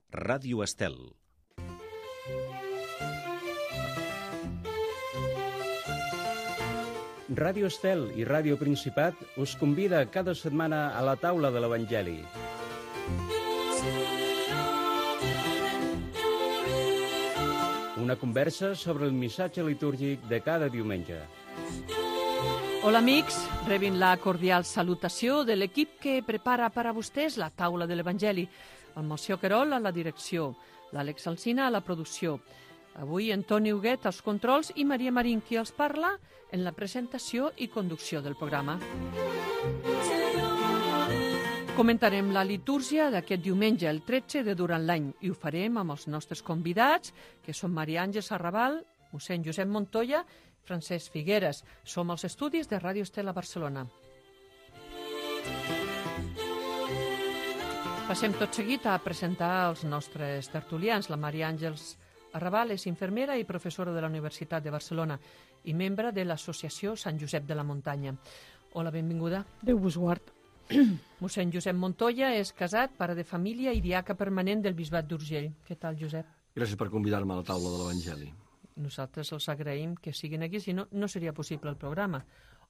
Ràdio Estel. Ràdio Estel i Ràdio Principat us convida cada setmana a la taula de l'Evangeli. Una conversa sobre el missatge litúrgic de cada diumenge. Hola amics, rebin la cordial salutació de l'equip que prepara per a vostès la taula de l'Evangeli. El Moció Querol a la direcció, l'Àlex Alsina a la producció. Avui Antoni Huguet als controls i Maria Marín qui els parla en la presentació i conducció del programa. Comentarem la litúrgia d'aquest diumenge, el 13 de durant l'any, i ho farem amb els nostres convidats, que són Maria Àngels Arrabal, mossèn Josep Montoya, Francesc Figueres. Som als estudis de Ràdio Estel a Barcelona. Passem tot seguit a presentar els nostres tertulians. La Maria Àngels Arrabal és infermera i professora de la Universitat de Barcelona i membre de l'Associació Sant Josep de la Muntanya. Hola, benvinguda. Déu vos guard. Mossèn Josep Montoya és casat, pare de família i diaca permanent del Bisbat d'Urgell. Què tal, Josep? Gràcies per convidar-me a la taula de l'Evangeli. Nosaltres els agraïm que siguin aquí, si no, no seria possible el programa.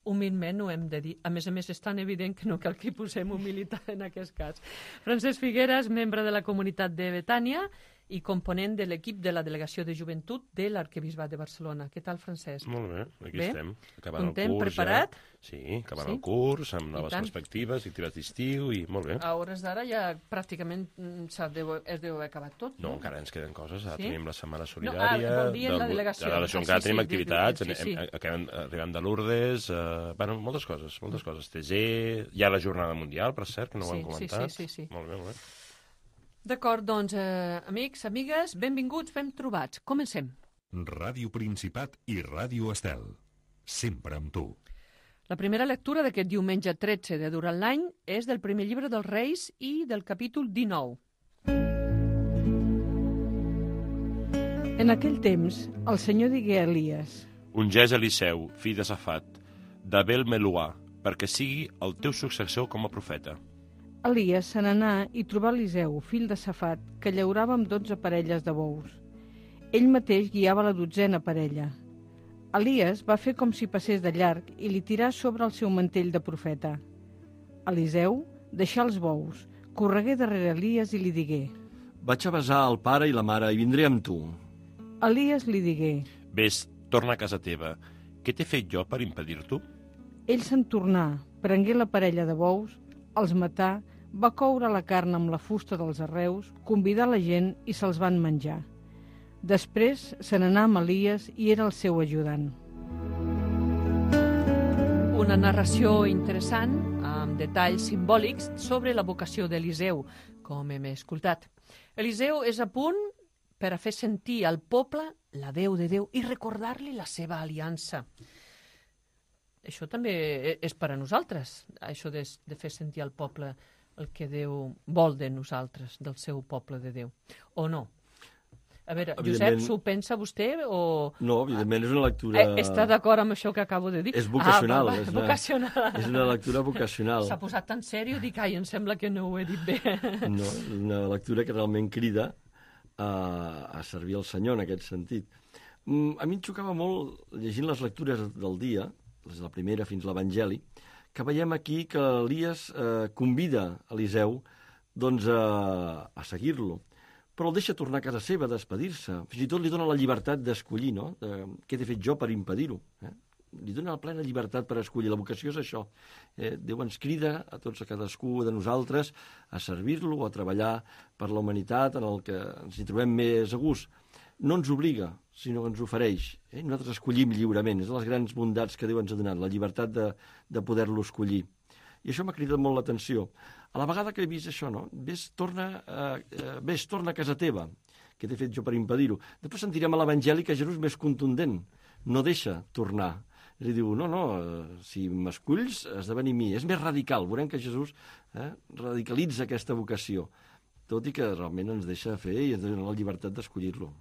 Humilment ho hem de dir. A més, és tan evident que no cal que hi posem humilitat en aquest cas. Francesc Figueres, membre de la comunitat de Betània i component de l'equip de la Delegació de Joventut de l'Arquebisbat de Barcelona. Què tal, Francesc? Molt bé, aquí bé? Estem. Acabant Content, el curs preparat? Ja. Sí, acabant el curs, amb noves tant. perspectives, activitats d'estiu i molt bé. A hores d'ara ja pràcticament es deu haver acabat tot. No, encara ens queden coses. Ara Sí? tenim la Setmana Solidària. vol dir en la delegació. Ara encara tenim sí, activitats. sí. Arribem de Lourdes. Bueno, moltes coses. TG, hi ha la Jornada Mundial, per cert, que no ho hem comentat. Sí. Molt bé, molt bé. D'acord, doncs, amics, amigues, benvinguts, ben trobats. Comencem. Ràdio Principat i Ràdio Estel. Sempre amb tu. La primera lectura d'aquest diumenge 13 de durant l'any és del primer llibre dels Reis i del capítol 19. En aquell temps, el Senyor digué a Elies: Ungeix Eliseu, fill de Safat, d'Abel Meluà, perquè sigui el teu successor com a profeta. Elies se n'anà i trobà Eliseu, fill de Safat, que llaurava amb 12 parelles de bous. Ell mateix guiava la 12a parella. Elies va fer com si passés de llarg i li tirà sobre el seu mantell de profeta. Eliseu deixà els bous, corregué darrere Elies i li digué: Vaig a besar el pare i la mare i vindré amb tu. Elies li digué: Ves, torna a casa teva. Què t'he fet jo per impedir-t'ho? Ell se'n tornà, prengué la parella de bous, els matà, va coure la carn amb la fusta dels arreus, convidar la gent i se'ls van menjar. Després se n'anà amb Elies i era el seu ajudant. Una narració interessant, amb detalls simbòlics sobre la vocació d'Eliseu, com hem escoltat. Eliseu és a punt per a fer sentir al poble la veu de Déu i recordar-li la seva aliança. Això també és per a nosaltres, això de fer sentir al poble el que Déu vol de nosaltres, del seu poble de Déu. O no? A veure, Josep, s'ho pensa vostè o... No, evidentment és una lectura... Està d'acord amb això que acabo de dir? És vocacional. Vocacional. És una lectura vocacional. S'ha posat tan sèrio, dic, ai, em sembla que no ho he dit bé. No, una lectura que realment crida a servir al Senyor en aquest sentit. A mi em xocava molt, llegint les lectures del dia, des de la primera fins a l'Evangeli, que veiem aquí que Elies convida Eliseu doncs, a seguir-lo, però el deixa tornar a casa seva, a despedir-se. Fins i tot li dona la llibertat d'escollir, no? Què t'he fet jo per impedir-ho? Li dona la plena llibertat per escollir. La vocació és això. Déu ens crida a tots, a cadascú de nosaltres, a servir-lo, a treballar per la humanitat en el que ens hi trobem més a gust. No ens obliga, sinó que ens ofereix. Nosaltres escollim lliurement. És de les grans bondats que Déu ens ha donat, la llibertat de poder-lo escollir. I això m'ha cridat molt l'atenció. A la vegada que he vist això, no? Ves, torna a casa teva, que t'he fet jo per impedir-ho. Després sentirem a l'Evangeli que Jesús és més contundent, no deixa tornar. I diu, no, si m'esculls, has de venir a mi. És més radical, veurem que Jesús radicalitza aquesta vocació, tot i que realment ens deixa fer i ens dona la llibertat d'escollir-lo.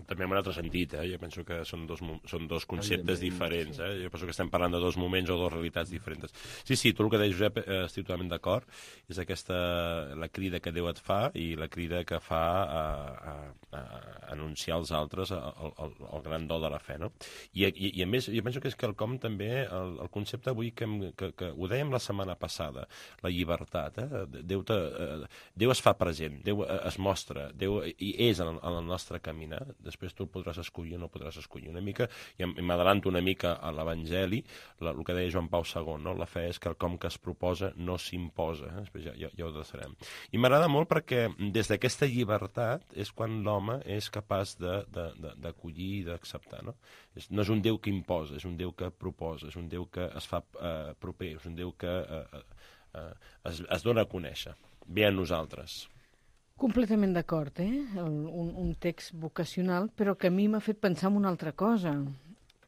També en un altre sentit, jo penso que són dos conceptes diferents. Jo penso que estem parlant de dos moments o dues realitats diferents. Sí, tu el que deia, Josep, estic totalment d'acord. És la crida que Déu et fa i la crida que fa a anunciar als altres el gran dol de la fe, no? I a més, jo penso que és quelcom també, el concepte avui que ho dèiem la setmana passada, la llibertat. Déu es fa present, Déu es mostra, Déu hi és en el nostre caminar. Després tu podràs escollir o no podràs escollir. Una mica, i m'adelanto una mica a l'Evangeli, el que deia Joan Pau II, no? La fe és quelcom que es proposa, no s'imposa. Després ja ho deixarem. I m'agrada molt perquè des d'aquesta llibertat és quan l'home és capaç d'acollir i d'acceptar. No és un Déu que imposa, és un Déu que proposa, és un Déu que es fa proper, és un Déu que es dona a conèixer. Ve a nosaltres. Completament d'acord, un text vocacional, però que a mi m'ha fet pensar en una altra cosa.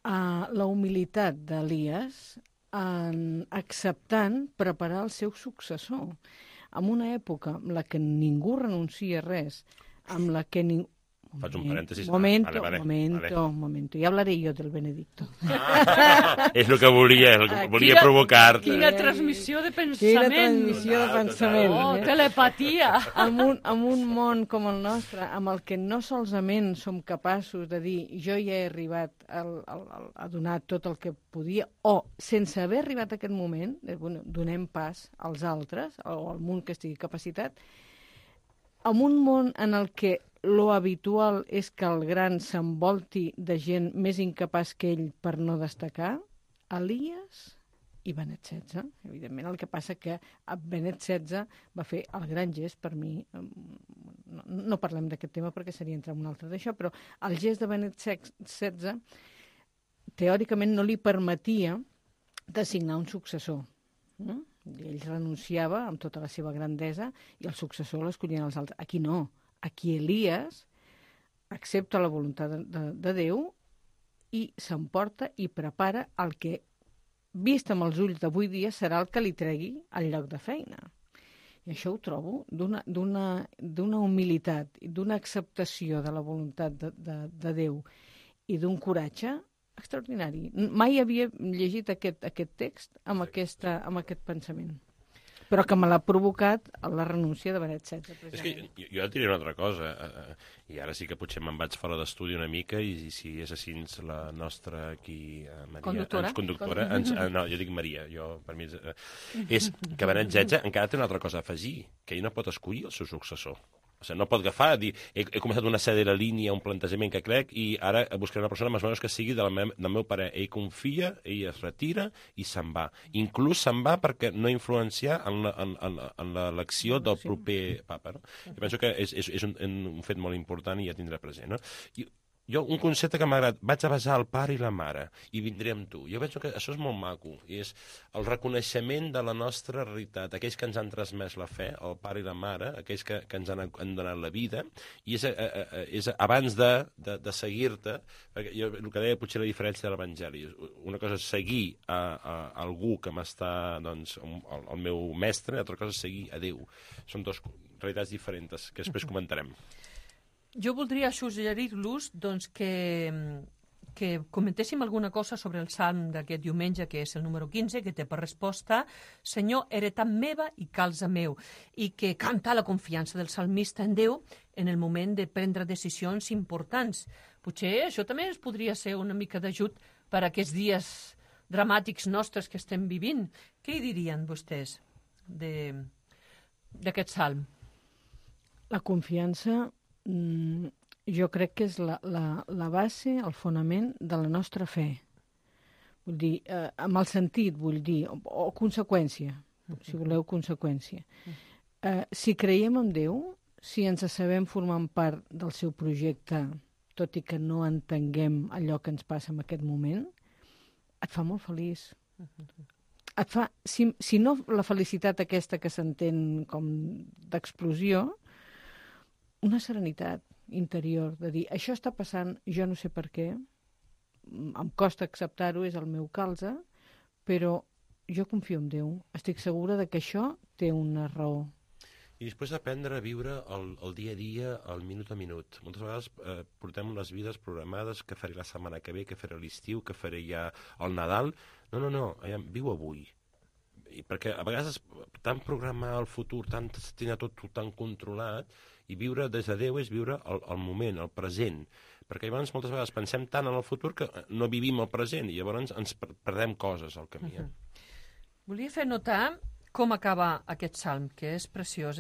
La humilitat d'Elies acceptant preparar el seu successor. En una època en la que ningú renuncia a res, amb la que ningú... Faig un parèntesis. Momento. Ya hablaré yo del Benedicto. És el que volia provocar-te. Quina transmissió de pensament. Quina transmissió de pensament. Oh, telepatia. En un món com el nostre, amb el que no solament som capaços de dir jo ja he arribat a donar tot el que podia, o sense haver arribat a aquest moment, donem pas als altres, o al món que estigui capacitat, en un món en el que lo habitual és que el gran s'envolti de gent més incapaç que ell per no destacar, Elies i Benet XVI. Evidentment, el que passa que Benet XVI va fer el gran gest, per mi, no parlem d'aquest tema perquè seria entrar en un altre d'això, però el gest de Benet XVI teòricament no li permetia designar un successor. Ell renunciava amb tota la seva grandesa i el successor l'escollien els altres. Aquí no. Aquí Elies accepta la voluntat de Déu i s'emporta i prepara el que, vist amb els ulls d'avui dia, serà el que li tregui al lloc de feina. I això ho trobo d'una humilitat i d'una acceptació de la voluntat de Déu i d'un coratge extraordinari. Mai havia llegit aquest text amb aquest pensament, però que me l'ha provocat la renúncia de Benet XVI. És que jo et diré una altra cosa, i ara sí que potser me'n vaig fora d'estudi una mica, i si és així la nostra aquí, Maria, conductora, no, jo dic Maria, per mi és que Benet XVI encara té una altra cosa a afegir, que ell no pot escollir el seu successor. O sigui, no pot agafar, dir, he començat una sèrie de línia, un plantejament que crec, i ara buscaré una persona més o menys que sigui del meu parer. Ell confia, ell es retira i se'n va. Inclús se'n va perquè no influenciar en l'elecció del proper papa. No? Jo penso que és un fet molt important i ja tindrà present. No? Jo, un concepte que m'ha agradat, vaig a besar el pare i la mare i vindré amb tu. Jo penso que això és molt maco, i és el reconeixement de la nostra realitat, aquells que ens han transmès la fe, el pare i la mare, aquells que ens han donat la vida, i és abans de seguir-te, perquè jo el que deia potser la diferència de l'Evangeli, una cosa és seguir a algú que m'està, doncs, el meu mestre, i altra cosa és seguir a Déu. Són dues realitats diferents que després comentarem. Jo voldria suggerir-los doncs, que comentéssim alguna cosa sobre el salm d'aquest diumenge, que és el número 15, que té per resposta Senyor, heretat meva i calze meu, i que canta la confiança del salmista en Déu en el moment de prendre decisions importants. Potser això també ens podria ser una mica d'ajut per a aquests dies dramàtics nostres que estem vivint. Què hi dirien vostès d'aquest salm? La confiança jo crec que és la base, el fonament de la nostra fe. Vull dir, amb el sentit, vull dir, o conseqüència, si voleu conseqüència. Si creiem en Déu, si ens sabem formant part del seu projecte, tot i que no entenguem allò que ens passa en aquest moment, et fa molt feliç. Et fa, si no la felicitat aquesta que s'entén com d'explosió, una serenitat interior, de dir, això està passant, jo no sé per què, em costa acceptar-ho, és el meu calze, però jo confio en Déu. Estic segura de que això té una raó. I després aprendre a viure el dia a dia, el minut a minut. Moltes vegades portem unes vides programades, què faré la setmana que ve, què faré l'estiu, què faré ja el Nadal. No, viu avui. I perquè a vegades tant programar el futur, tant tenir tot tan controlat, i viure des de Déu és viure el moment, el present. Perquè llavors moltes vegades pensem tant en el futur que no vivim el present i llavors ens perdem coses al camí. Volia fer notar com acaba aquest salm, que és preciós.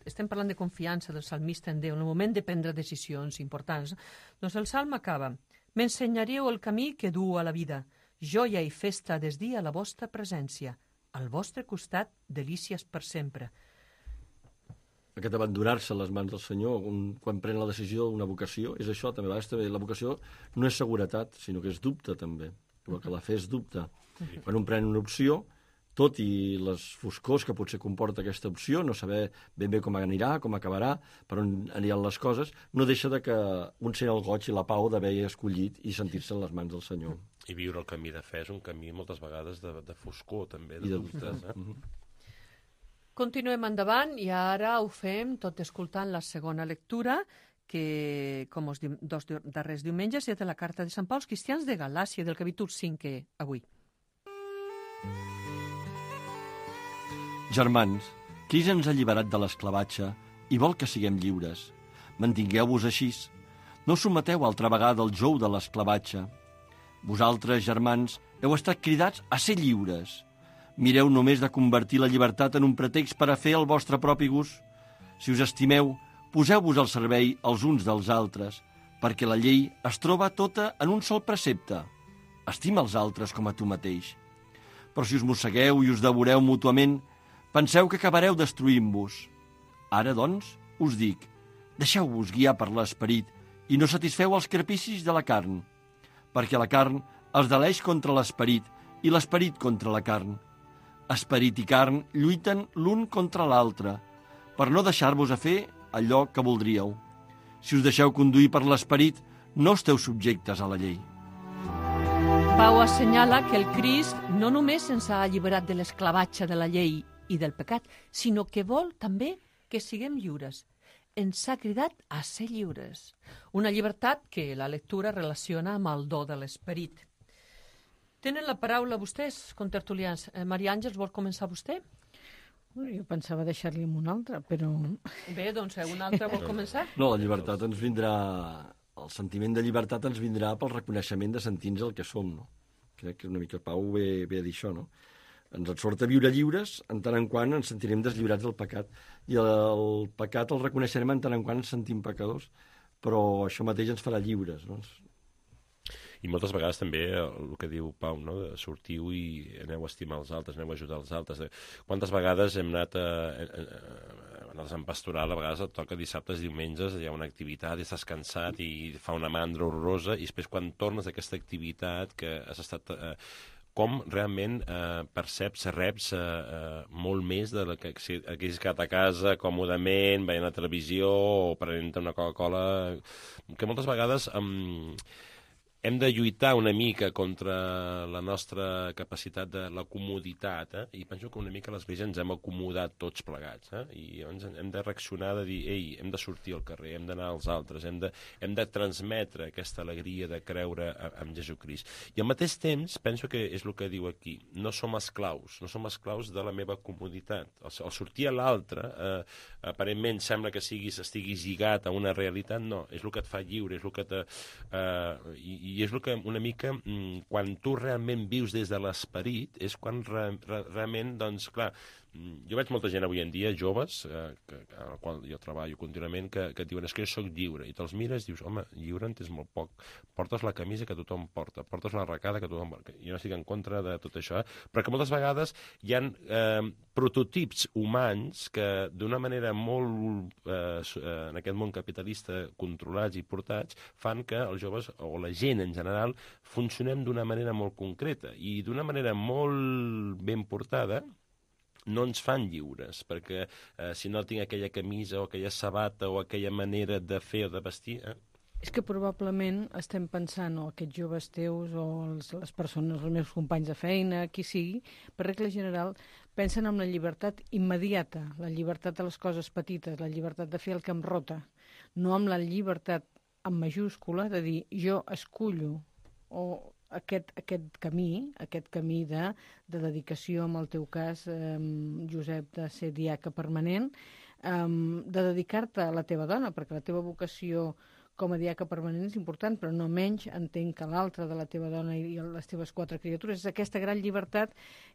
Estem parlant de confiança del salmista en Déu, en el moment de prendre decisions importants. Doncs el salm acaba: m'ensenyaríeu el camí que du a la vida, joia i festa des dia a la vostra presència, al vostre costat delícies per sempre. Aquest abandonar-se a les mans del Senyor quan pren la decisió d'una vocació, és això també. A vegades també la vocació no és seguretat, sinó que és dubte també. El que la fa és dubte. Quan un pren una opció, tot i les foscors que potser comporta aquesta opció, no saber ben bé com anirà, com acabarà, per on aniran les coses, no deixa de que un sent el goig i la pau d'haver escollit i sentir-se en les mans del Senyor. I viure el camí de fe és un camí moltes vegades de foscor, també, de dubtes. Continuem endavant i ara ho fem tot escoltant la segona lectura, que, com els dos darrers diumenges, és de la carta de Sant Pau als cristians de Galàcia, del capítol 5, avui. Germans, Crist ens ha alliberat de l'esclavatge i vol que siguem lliures. Mantingueu-vos així. No someteu altra vegada el jou de l'esclavatge. Vosaltres, germans, heu estat cridats a ser lliures. Mireu només de convertir la llibertat en un pretext per a fer el vostre propi gust. Si us estimeu, poseu-vos al servei els uns dels altres, perquè la llei es troba tota en un sol precepte. Estima els altres com a tu mateix. Però si us mossegueu i us devoreu mútuament, penseu que acabareu destruint-vos. Ara, doncs, us dic, deixeu-vos guiar per l'esperit i no satisfeu els capricis de la carn, perquè la carn es deleix contra l'esperit i l'esperit contra la carn. Esperit i carn lluiten l'un contra l'altre, per no deixar-vos a fer allò que voldríeu. Si us deixeu conduir per l'esperit, no esteu subjectes a la llei. Pau assenyala que el Crist no només ens ha alliberat de l'esclavatge de la llei i del pecat, sinó que vol també que siguem lliures. Ens ha cridat a ser lliures. Una llibertat que la lectura relaciona amb el do de l'esperit. Tenen la paraula vostès, contertulians. Maria Àngels, vol començar vostè? Jo pensava deixar-li amb un altre, però... Bé, doncs, un altre vol començar? No, la llibertat ens vindrà... El sentiment de llibertat ens vindrà pel reconeixement de sentir-nos el que som, no? Crec que una mica Pau ve a dir això, no? Ens sort a viure lliures, en tant en quant ens sentirem deslliurats del pecat. I el pecat el reconeixerem en tant en quant ens sentim pecadors, però això mateix ens farà lliures, no? I moltes vegades també el que diu Pau, no? De sortiu i aneu a estimar els altres, aneu a ajudar els altres. Quantes vegades hem anat a Sant Pastoral, a vegades et toca dissabtes, diumenges, hi ha una activitat i estàs cansat i fa una mandra horrorosa, i després quan tornes d'aquesta activitat que has estat... com realment perceps, reps molt més de la que haguessis quedat a casa còmodament, veient la televisió o prenent una Coca-Cola, que moltes vegades hem de lluitar una mica contra la nostra capacitat de la comoditat, i penso que una mica a l'Església ens hem acomodat tots plegats, i llavors hem de reaccionar, de dir, ei, hem de sortir al carrer, hem d'anar als altres, hem de transmetre aquesta alegria de creure en Jesucrist. I al mateix temps, penso que és el que diu aquí, no som esclaus de la meva comoditat. El sortir a l'altre, aparentment sembla que estiguis lligat a una realitat, no, és el que et fa lliure, és el que i és el que una mica, quan tu realment vius des de l'esperit, és quan realment, doncs, clar, jo veig molta gent avui en dia, joves, amb la qual jo treballo contínuament, que et diuen, és que jo soc lliure, i te'ls mires i dius, home, lliure en tens molt poc, portes la camisa que tothom porta, portes la arracada que tothom porta. Jo no estic en contra de tot això, però que moltes vegades hi ha prototips humans que d'una manera molt, en aquest món capitalista, controlats i portats, fan que els joves, o la gent en general, funcionem d'una manera molt concreta, i d'una manera molt ben portada, no ens fan lliures, perquè si no tinc aquella camisa o aquella sabata o aquella manera de fer o de vestir... És que probablement estem pensant, o aquests joves teus, o les persones, els meus companys de feina, qui sigui, per regla general, pensen en la llibertat immediata, la llibertat de les coses petites, la llibertat de fer el que em rota, no amb la llibertat en majúscula de dir jo escullo o aquest camí de dedicació, en el teu cas, Josep, de ser diaca permanent, de dedicar-te a la teva dona, perquè la teva vocació com a diaca permanent és important, però no menys entenc que l'altra de la teva dona i les teves 4 criatures és aquesta gran llibertat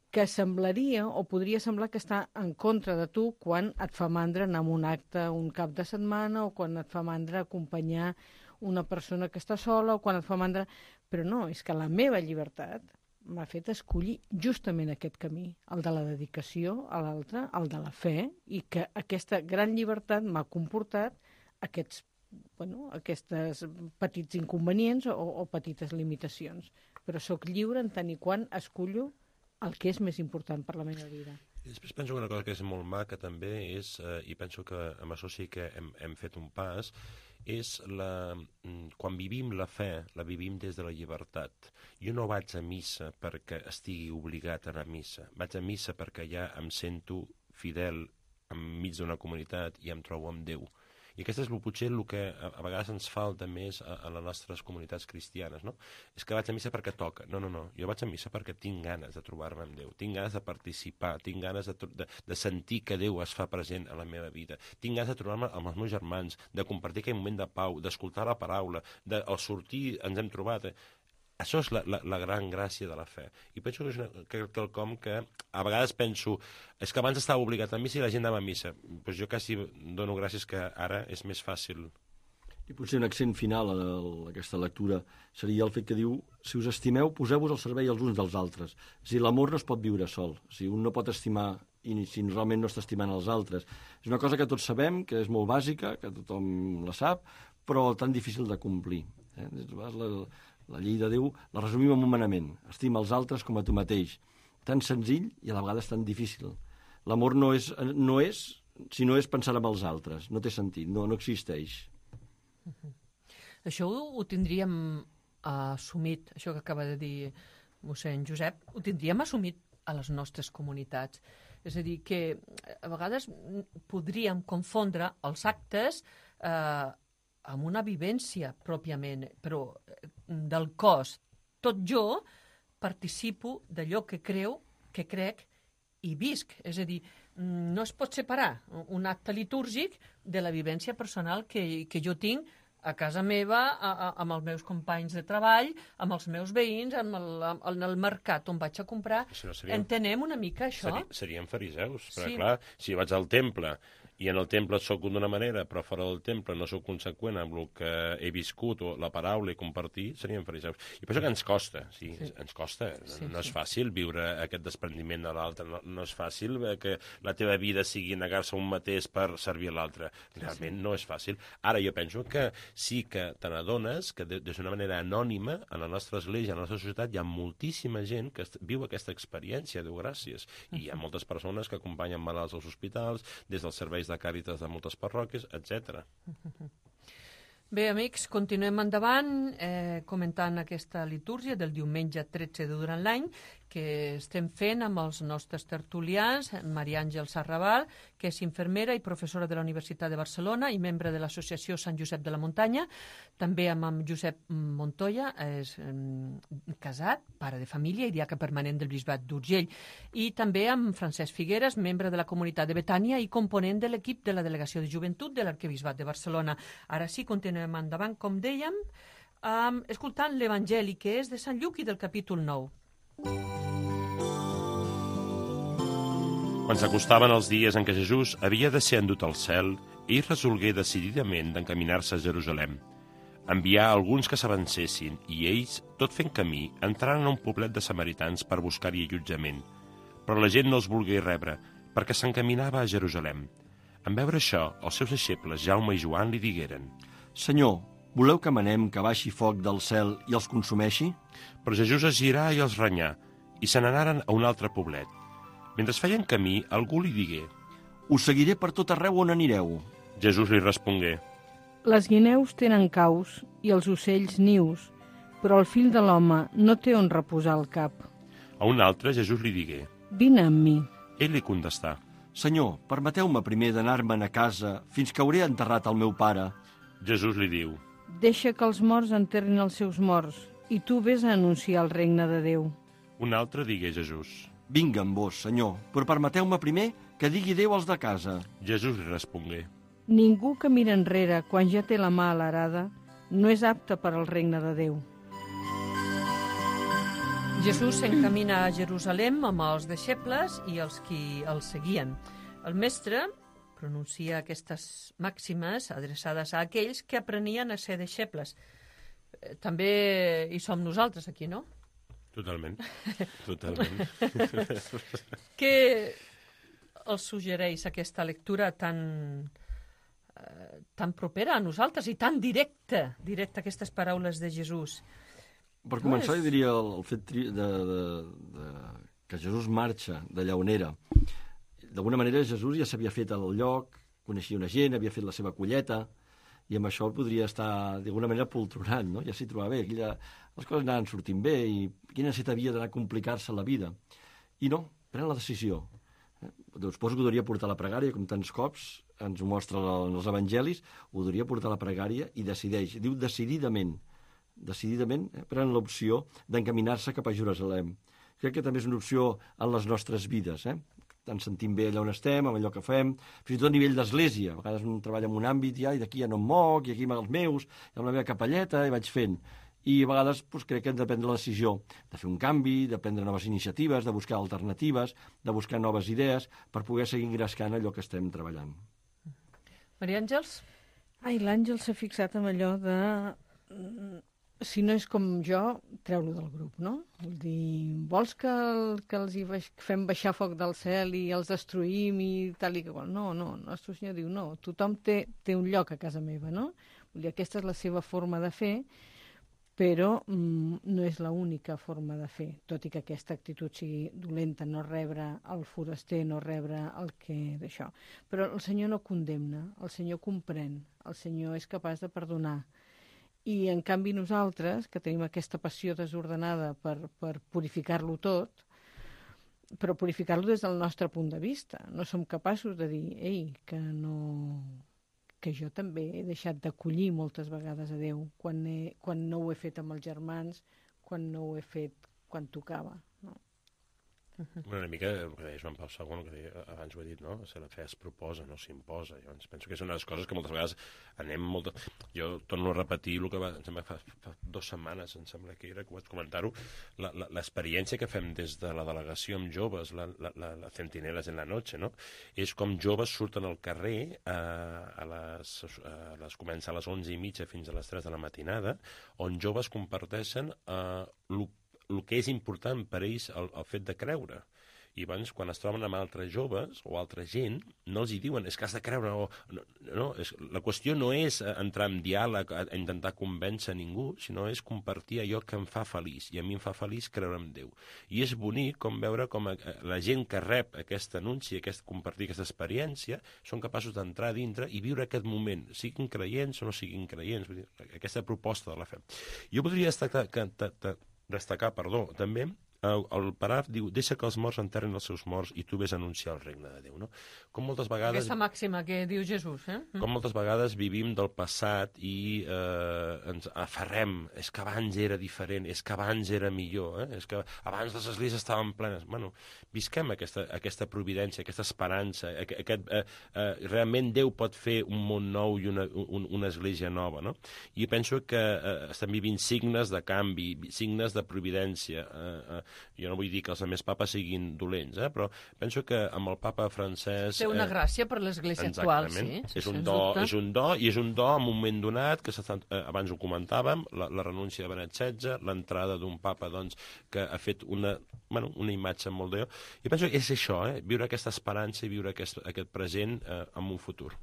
que semblaria o podria semblar que està en contra de tu quan et fa mandra anar a un acte un cap de setmana o quan et fa mandra acompanyar una persona que està sola o quan et fa mandra... Però no, és que la meva llibertat m'ha fet escollir justament aquest camí, el de la dedicació a l'altre, el de la fe, i que aquesta gran llibertat m'ha comportat aquests petits inconvenients o petites limitacions. Però sóc lliure en tant i quan escollo el que és més important per la meva vida. I després penso que una cosa que és molt maca també és, i penso que amb això sí que hem fet un pas, és quan vivim la fe, la vivim des de la llibertat. Jo no vaig a missa perquè estigui obligat a anar a missa. Vaig a missa perquè ja em sento fidel enmig d'una comunitat i em trobo amb Déu. I aquest és potser el que a vegades ens falta més a les nostres comunitats cristianes, no? És que vaig a missa perquè toca. No. Jo vaig a missa perquè tinc ganes de trobar-me amb Déu, tinc ganes de participar, tinc ganes de sentir que Déu es fa present a la meva vida, tinc ganes de trobar-me amb els meus germans, de compartir aquell moment de pau, d'escoltar la paraula, al sortir ens hem trobat... Això és la gran gràcia de la fe. I penso que és quelcom que a vegades penso, és que abans estava obligat a missa i la gent anava a missa. Pues jo quasi dono gràcies que ara és més fàcil. I potser un accent final a aquesta lectura seria el fet que diu, si us estimeu, poseu-vos al servei els uns dels altres. És a dir, l'amor no es pot viure sol. O sigui, un no pot estimar i si realment no està estimant els altres. És una cosa que tots sabem, que és molt bàsica, que tothom la sap, però tan difícil de complir. La llei de Déu la resumim en un manament. Estima els altres com a tu mateix. Tan senzill i a la vegada és tan difícil. L'amor no és si no és pensar en els altres. No té sentit, no existeix. Això ho tindríem assumit, això que acaba de dir mossèn Josep, ho tindríem assumit a les nostres comunitats. És a dir, que a vegades podríem confondre els actes amb una vivència pròpiament, però del cos. Tot jo participo d'allò que crec i visc. És a dir, no es pot separar un acte litúrgic de la vivència personal que jo tinc a casa meva, amb els meus companys de treball, amb els meus veïns, en el mercat on vaig a comprar. Entenem una mica això? Seríem fariseus, perquè clar, si vaig al temple i en el temple soc d'una manera, però fora del temple no soc conseqüent amb el que he viscut o la paraula i compartir, seríem fariseus. I penso que ens costa, ens costa. No és fàcil viure aquest desprendiment de l'altre, no és fàcil que la teva vida sigui negar-se a un mateix per servir a l'altre. Realment no és fàcil. Ara jo penso que sí que te n'adones que d'una manera anònima a la nostra església, a la nostra societat, hi ha moltíssima gent que viu aquesta experiència, Déu gràcies. I hi ha moltes persones que acompanyen malalts als hospitals, des dels serveis de càritas de moltes parròquies, etc. Bé, amics, continuem endavant comentant aquesta litúrgia del diumenge 13 de durant l'any que estem fent amb els nostres tertulians, Maria Àngels Arrabal, que és infermera i professora de la Universitat de Barcelona i membre de l'Associació Sant Josep de la Muntanya, també amb Josep Montoya, és casat, pare de família i diaca permanent del Bisbat d'Urgell, i també amb Francesc Figueres, membre de la comunitat de Betània i component de l'equip de la Delegació de Joventut de l'Arquebisbat de Barcelona. Ara sí, continuem endavant, com dèiem, escoltant l'Evangeli, que és de Sant Lluc i del capítol 9. Quan s'acostaven els dies en què Jesús havia de ser endut al cel, ell resolgué decididament d'encaminar-se a Jerusalem. Envià alguns que s'avancessin i ells, tot fent camí, entraren a un poblet de samaritans per buscar-hi allotjament. Però la gent no els volgué rebre, perquè s'encaminava a Jerusalem. En veure això, els seus deixebles, Jaume i Joan, li digueren: Senyor, voleu que manem que baixi foc del cel i els consumeixi? Però Jesús es girà i els renyà, i se n'anaren a un altre poblet. Mentre feien camí, algú li digué: Us seguiré per tot arreu on anireu. Jesús li respongué: Les guineus tenen caus i els ocells nius, però el fill de l'home no té on reposar el cap. A un altre Jesús li digué: Vine amb mi. Ell li contestà: Senyor, permeteu-me primer d'anar-me'n a casa fins que hauré enterrat el meu pare. Jesús li diu: Deixa que els morts enterrin els seus morts, i tu vés a anunciar el regne de Déu. Un altre digué a Jesús: Vinga amb vos, senyor, però permeteu-me primer que digui adéu als de casa. Jesús li respongué: Ningú que mira enrere quan ja té la mà alarada no és apte per al regne de Déu. Jesús s'encamina a Jerusalem amb els deixebles i els qui el seguien. El mestre pronuncia aquestes màximes adreçades a aquells que aprenien a ser deixebles. També hi som nosaltres aquí, no? Totalment. Totalment. Què els suggereix aquesta lectura tan propera a nosaltres i tan directa aquestes paraules de Jesús? Per començar, jo diria el fet que Jesús marxa d'allà on era. D'alguna manera, Jesús ja s'havia fet al lloc, coneixia una gent, havia fet la seva colleta, i amb això podria estar, d'alguna manera, poltronant, no? Ja s'hi trobava bé, les coses anaven sortint bé, i quina necessitat havia d'anar a complicar-se la vida. I no, pren la decisió. Doncs suposo que ho hauria portar a la pregària, com tants cops ens ho mostra els evangelis, ho hauria portar a la pregària i decideix, diu decididament, pren l'opció d'encaminar-se cap a Jerusalem. Crec que també és una opció en les nostres vides, ens sentim bé allà on estem, amb allò que fem, fins i tot a nivell d'església. A vegades un treballa en un àmbit i d'aquí ja no em moc, i aquí amb els meus, i amb la meva capelleta, i vaig fent. I a vegades crec que hem de prendre la decisió de fer un canvi, de prendre noves iniciatives, de buscar alternatives, de buscar noves idees, per poder seguir engrescant allò que estem treballant. Maria Àngels? L'Àngel s'ha fixat en allò de... Si no és com jo, treu-lo del grup, no? Vull dir, vols que els hi fem baixar foc del cel i els destruïm i tal i qual? No, el nostre senyor diu no, tothom té un lloc a casa meva, no? Vull dir, aquesta és la seva forma de fer, però no és l'única forma de fer, tot i que aquesta actitud sigui dolenta, no rebre el foraster, no rebre el que d'això. Però el Senyor no condemna, el Senyor comprèn, el Senyor és capaç de perdonar. I, en canvi, nosaltres, que tenim aquesta passió desordenada per purificar-lo tot, però purificar-lo des del nostre punt de vista. No som capaços de dir, que jo també he deixat d'acollir moltes vegades a Déu quan no ho he fet amb els germans, quan no ho he fet quan tocava. No? Una mica el que deia Joan Pau II, que abans ho he dit, no? La fe es proposa, no s'imposa. Jo penso que és una de les coses que moltes vegades Jo torno a repetir el que em sembla fa 2 setmanes, em sembla que era, que vaig comentar-ho, l'experiència que fem des de la delegació amb joves, la Centineles en la noche, no? És com joves surten al carrer, comença a les 11:30 fins a les 3 de la matinada, on joves comparteixen el que és important per ells el fet de creure. I abans, quan es troben amb altres joves o altra gent, no els hi diuen és que has de creure. La qüestió no és entrar en diàleg, a intentar convèncer ningú, sinó és compartir allò que em fa feliç. I a mi em fa feliç creure en Déu. I és bonic veure com la gent que rep aquest anunci, compartir aquesta experiència, són capaços d'entrar a dintre i viure aquest moment, siguin creients o no siguin creients. Vull dir, aquesta proposta de la fe. Jo podria destacar, també, el paràgraf diu: deixa que els morts enterren els seus morts i tu vés a anunciar el regne de Déu, no? Com moltes vegades... Aquesta màxima que diu Jesús, Com moltes vegades vivim del passat i ens aferrem, és que abans era diferent, és que abans era millor, és que abans les esglésies estaven plenes. Bueno, visquem aquesta providència, aquesta esperança, realment Déu pot fer un món nou i una església nova, no? I penso que estem vivint signes de canvi, signes de providència. Jo no vull dir que els altres papes siguin dolents, però penso que amb el papa francès... Té una gràcia per l'Església actual, sí. És un do en un moment donat, que abans ho comentàvem, la renúncia de Benet XVI, l'entrada d'un papa que ha fet una imatge molt de Déu. I penso que és això, viure aquesta esperança i viure aquest present en un futur.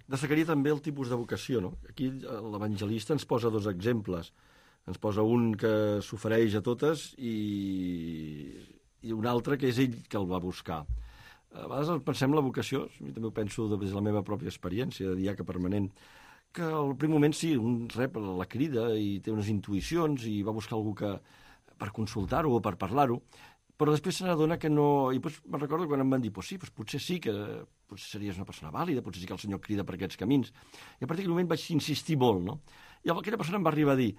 Destacaria també el tipus de vocació, no? Aquí l'evangelista ens posa 2 exemples. Ens posa un que s'ofereix a totes i un altre que és ell que el va buscar. A vegades pensem la vocació, jo també ho penso des de la meva pròpia experiència de diaca permanent, que al primer moment sí, un rep la crida i té unes intuïcions i va buscar algú per consultar-ho o per parlar-ho, però després se n'adona que no... I me'n recordo quan em van dir, sí, potser sí que potser series una persona vàlida, potser sí que el senyor crida per aquests camins. I a partir d'aquell moment vaig insistir molt, no? I aquella persona em va arribar a dir,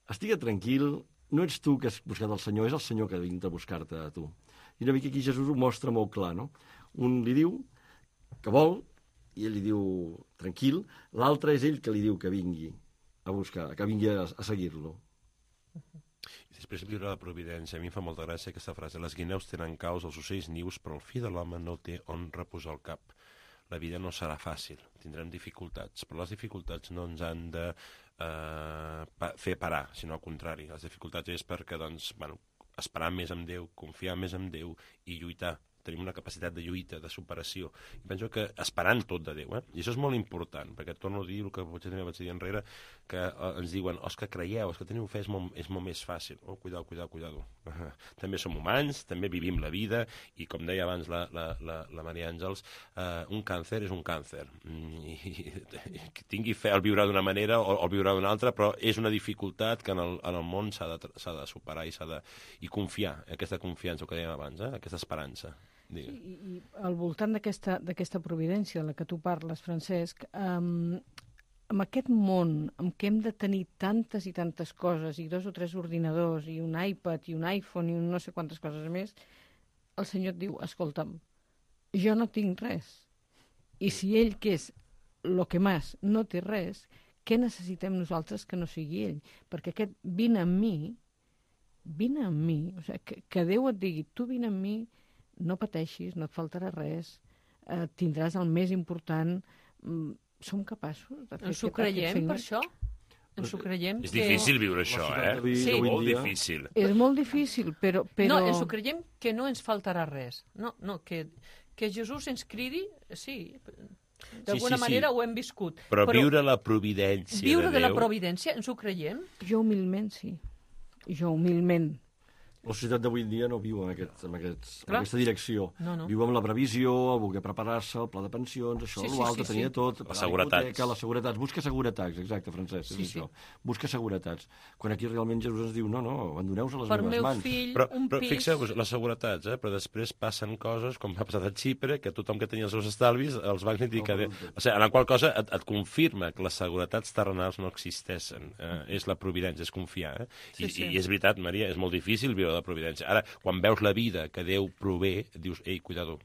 estiga tranquil, no ets tu que has buscat el senyor, és el senyor que ha vingut a buscar-te a tu. I una mica aquí Jesús ho mostra molt clar, no? Un li diu que vol, i ell li diu tranquil, l'altre és ell que li diu que vingui a buscar, que vingui a seguir-lo. I després viure la providència. A mi em fa molta gràcia aquesta frase. Les guineus tenen caus, els ocells nius, però el fill de l'home no té on reposar el cap. La vida no serà fàcil, tindrem dificultats, però les dificultats no ens han de fer parar, sinó al contrari. Les dificultats és perquè, doncs, esperar més en Déu, confiar més en Déu i lluitar. Tenim una capacitat de lluita, de superació. I penso que esperant tot de Déu, I això és molt important, perquè torno a dir el que potser també vaig dir enrere, que ens diuen, els que creieu, els que teniu fe és molt més fàcil. Oh, cuidado. També som humans, també vivim la vida, i com deia abans la Maria Àngels, un càncer és un càncer. I tingui fe al viure d'una manera o al viure d'una altra, però és una dificultat que en el món s'ha de superar i confiar, aquesta confiança, el que dèiem abans, aquesta esperança. Sí, i al voltant d'aquesta providència de la que tu parles, Francesc, amb aquest món en què hem de tenir tantes i tantes coses, i 2 o 3 ordinadors, i un iPad, i un iPhone, i no sé quantes coses més, el Senyor et diu, escolta'm, jo no tinc res. I si ell, que és lo que més, no té res, què necessitem nosaltres que no sigui ell? Perquè aquest vine amb mi, o sigui, que Déu et digui, tu vine amb mi, no pateixis, no et faltarà res, tindràs el més important, som capaços de fer... Ens ho creiem, per això? Ens ho creiem? És difícil viure això, Sí, molt difícil. És molt difícil, però... No, ens ho creiem que no ens faltarà res. No, que Jesús ens cridi, sí, d'alguna manera ho hem viscut. Però viure la providència de Déu... Viure de la providència, ens ho creiem? Jo humilment, sí. Jo humilment. La societat d'avui en dia no viu en aquesta direcció. No. Viu amb la previsió, el voler preparar-se, el pla de pensions, això, l'altre, tenia tot. Les seguretats. Les seguretats. Busca seguretats, exacte, Francesc, és això. Busca seguretats. Quan aquí realment Jesús ens diu, no, abandoneu-vos a les meves mans. Fill, però pis... fixeu-vos, les seguretats, però després passen coses, com ha passat a Xipre, que tothom que tenia els seus estalvis els va criticar. O sigui, en la qual cosa et confirma que les seguretats terrenals no existeixen. És la providència, és confiar. I és veritat, Maria, és molt difícil viure la providència. Ara, quan veus la vida que Déu prové, dius, ei, cuidado.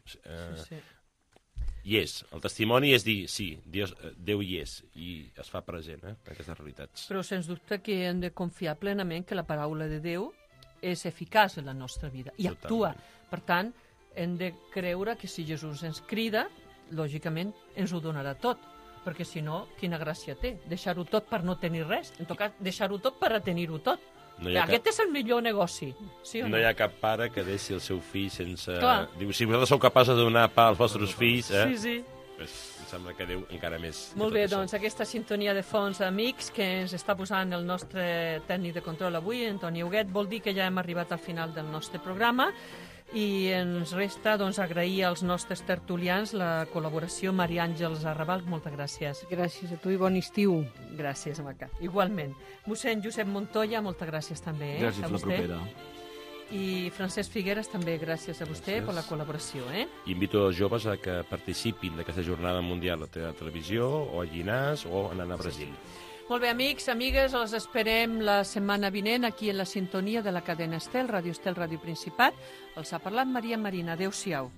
Hi és. El testimoni és dir, sí, Déu hi és, i es fa present, aquestes realitats. Però sens dubte que hem de confiar plenament que la paraula de Déu és eficaç en la nostra vida i actua. Per tant, hem de creure que si Jesús ens crida, lògicament ens ho donarà tot, perquè si no, quina gràcia té? Deixar-ho tot per no tenir res. En tot cas, deixar-ho tot per a tenir-ho tot. Aquest és el millor negoci, sí o no? No hi ha cap pare que deixi el seu fill sense... Diu, si vosaltres sou capaços de donar pa als vostres fills... Sí. Pues, em sembla que Déu encara més... Molt bé, doncs aquesta sintonia de fons amics que ens està posant el nostre tècnic de control avui, Antoni Huguet, vol dir que ja hem arribat al final del nostre programa i ens resta agrair als nostres tertulians la col·laboració. Maria Àngels Arrabal, moltes gràcies. Gràcies a tu i bon estiu. Gràcies, Maca. Igualment. Mossèn Josep Montoya, moltes gràcies també. Gràcies a la propera. I Francesc Figueres, també gràcies a vostè per la col·laboració. Invito els joves a que participin d'aquesta jornada mundial a la televisió o a Llinars o anant a Brasil. Molt bé, amics, amigues, els esperem la setmana vinent aquí en la sintonia de la cadena Estel, Ràdio Estel, Ràdio Principat. Els ha parlat Maria Marina. Adéu-siau.